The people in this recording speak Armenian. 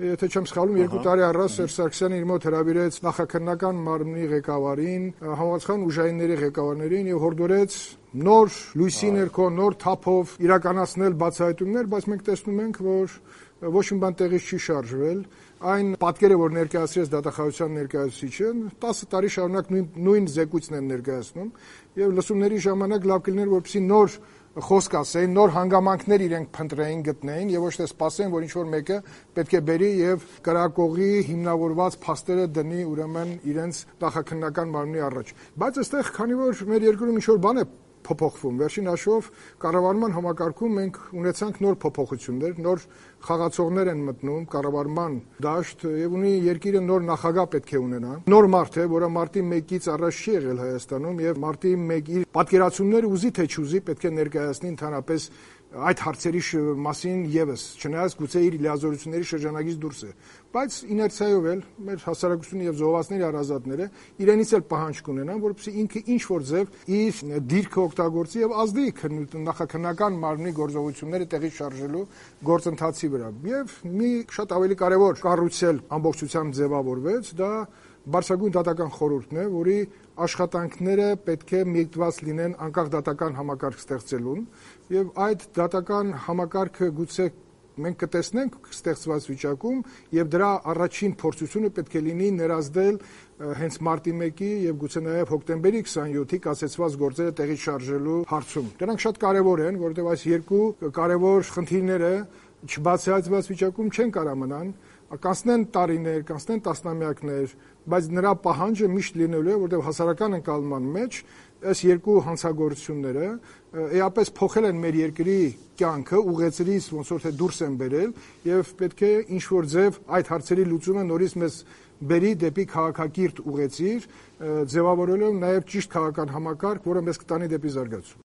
եթե չեմ սխալվում, 2 տարի առաջ Սերժ Սարգսյանը իր մոտ հրավիրեց նախաքննական մարմնի ղեկավարին, համապատասխան ուժայինների ղեկավարներին եւ հորդորեց նոր լույսի ներքո, նոր թափով իրականացնել բացահայտումներ, բայց մենք տեսնում ենք, որ ոչ մի բան տեղից չի շարժվել։ Այն պատկերը, որ ներկայացրեց դատախազության ներկայացուցիչը, 10 տարի շարունակ նույն զեկույցն են ներկայացնում եւ լսումների ժամանակ լավ կլիներ, որպեսզի նոր խոսք ասեին, նոր հանգամանքներ իրենք փնտրեին, գտնեին եւ ոչ թե սպասեին, որ ինչ-որ մեկը պետք է բերի եւ կրակողի հիմնավորված փաստերը դնի ուրեմն իրենց նախաքննական մարմնի առաջ։ Բայց այստեղ, քանի որ մեր երկրում ինչ-որ բան է փոփոխվում, վերջին հաշվով կառավարման համակարգում մենք ունեցանք նոր փոփոխություններ, նոր խաղացողներ են մտնում կառավարման դաշտ եւ ունի երկիրը նոր նախագահ պետք է ունենա։ Նոր մարդ է, որը մարտի 1-ից առաջ չի եղել Հայաստանում եւ մարտի 1-ի պատկերացումները ուզի թե չուզի պետք է ներկայացնի ընդհանրապես այդ հարցերի մասին եւս, չնայած գուցե իր լիազորությունների շրջանագից դուրս է, բայց իներցիայով էլ մեր հասարակությունը եւ զոհվածների հարազատները իրենից էլ պահանջ կունենան, որպեսզի ինքը ինչ որ ձև իր դիրքը օգտագործի եւ ազդի նախաքննական մարմնի գործողությունները տեղի շարժելու գործընթացի վրա։ Եվ մի շատ ավելի կարեւոր կառույցել ամբողջությամբ ձևավորվեց, դա Բարձրագույն դատական խորհուրդն է, որի աշխատանքները պետք է միգտված լինեն անկախ դատական համակարգ ստեղծելուն, եւ այդ դատական համակարգը գուցե մենք կտեսնենք ստեղծված վիճակում եւ դրա առաջին փորձությունը պետք է լինի ներազդել հենց մարտի 1-ի եւ գուցե նաեւ հոկտեմբերի 27-ի կասեցված գործերը տեղի շարժելու հարցում։ Դրանք շատ կարեւոր են, որովհետեւ այս երկու կարեւոր խնդիրները չբացահայտված վիճակում չեն կարող մնան, կանցնեն տարիներ, կանցնեն տասնամյակներ, բայց նրա պահանջը միշտ լինելու է, որտեղ հասարակական ընկալման մեջ այս երկու հանցագործությունները էապես փոխել են մեր երկրի կյանքը, ուղեցրից ոնց որ թե դուրս են բերել եւ պետք է ինչ որ ձև այդ հարցերի լուծումը նորից մեզ բերի դեպի քաղաքակիրթ ուղեցիր, ձևավորելով նաեւ ճիշտ քաղաքական համակարգ, որը մեզ կտանի դեպի զարգացում։